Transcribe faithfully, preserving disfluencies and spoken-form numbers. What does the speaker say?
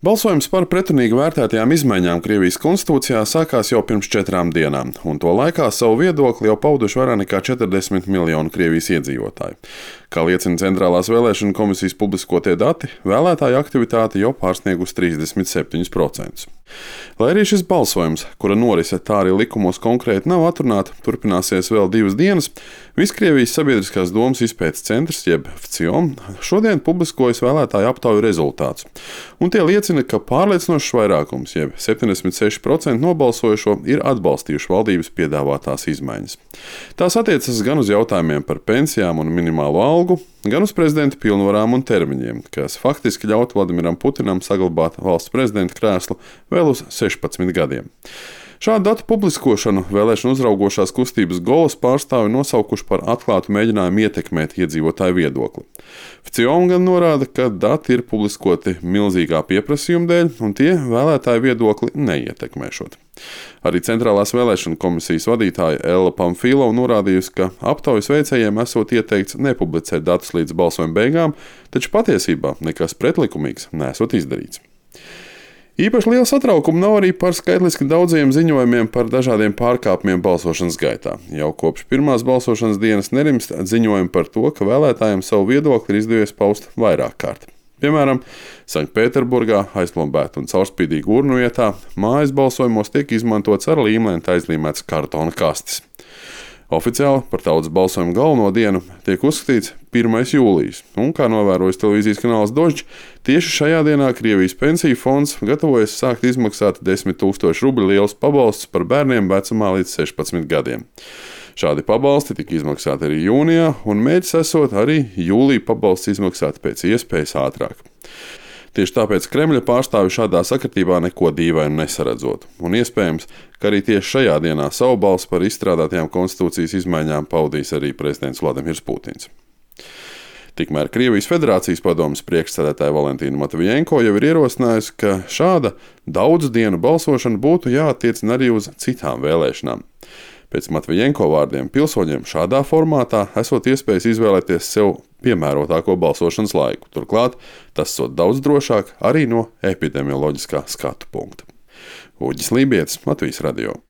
Balsojums par pretrunīgi vērtētajām izmaiņām Krievijas konstitūcijā sākās jau pirms četrām dienām, un to laikā savu viedokli jau pauduši vairāk nekā četrdesmit miljoni Krievijas iedzīvotāju. Kā liecina Centrālās vēlēšanu komisijas publiskotie dati, vēlētāju aktivitāte jau pārsniegusi trīsdesmit septiņus procentus. Lai arī šis balsojums, kura norise tā arī likumos konkrēti nav atrunāta, turpināsies vēl divas dienas, Viskrievijas sabiedriskās domas izpētes centrs, jeb V C I O M, šodien publiskojas vēlētāju aptauju rezultātus, un tie liecina, ka pārliecinošs vairākums, jeb septiņdesmit seši procenti nobalsojušo, ir atbalstījuši valdības piedāvātās izmaiņas. Tās attiecas gan uz jautājumiem par pensijām un minimālo algu, gan uz prezidenta pilnvarām un termiņiem, kas faktiski ļautu Vladimiram Putinam saglabāt valsts prezidenta krēslu vēl uz sešpadsmit gadiem. Šādu datu publiskošanu vēlēšanu uzraugošās kustības Golas pārstāvi nosaukuši par atklātu mēģinājumu ietekmēt iedzīvotāju viedokli. V C I O M gan norāda, ka dati ir publiskoti milzīgā pieprasījuma dēļ, un tie vēlētāju viedokli neietekmēšot. Arī Centrālās vēlēšanu komisijas vadītāja Ella Pamfilova norādījusi, ka aptaujas veicējiem esot ieteikts nepublicēt datus līdz balsojuma beigām, taču patiesībā nekas pretlikumīgs nesot izdarīts. Īpaši liela satraukuma nav arī par skaitliski daudziem ziņojumiem par dažādiem pārkāpumiem balsošanas gaitā. Jau kopš pirmās balsošanas dienas nerimst ziņojumi par to, ka vēlētājiem savu viedokli ir izdevies paust vairāk kārt. Piemēram, Sanktpēterburgā aizplombēta un caurspīdīga urnu vietā mājas balsojumos tiek izmantots ar līmlenti aizlīmēts kartona kastes. Oficiāli par tautas balsojumu galveno dienu tiek uzskatīts pirmais jūlijas, un, kā novērojas televīzijas kanāls Dožģi, tieši šajā dienā Krievijas pensiju fonds gatavojas sākt izmaksāt desmit tūkstošu rubļu lielus pabalstus par bērniem vecumā līdz sešpadsmit gadiem. Šādi pabalsti tika izmaksāti arī jūnijā, un mērķis esot arī jūlija pabalsts izmaksāt pēc iespējas ātrāk. Tieši tāpēc Kremļa pārstāvi šādā sakritībā neko dīvainu nesaredzot, un iespējams, ka arī tieši šajā dienā savu balsi par izstrādātajām konstitūcijas izmaiņām paudīs arī prezidents Vladimirs Putins. Tikmēr Krievijas Federācijas padomes priekšsēdētāja Valentīna Matvijenko jau ir ierosinājusi, ka šāda daudzu dienu balsošana būtu jāattiecina arī uz citām vēlēšanām. Pēc Matvijenko vārdiem pilsoņiem šādā formātā esot iespējas izvēlēties sev piemērotāko balsošanas laiku. Turklāt tas sot daudz drošāk arī no epidemioloģiskā skatu punkta. Uģis Lībietis, Latvijas radio.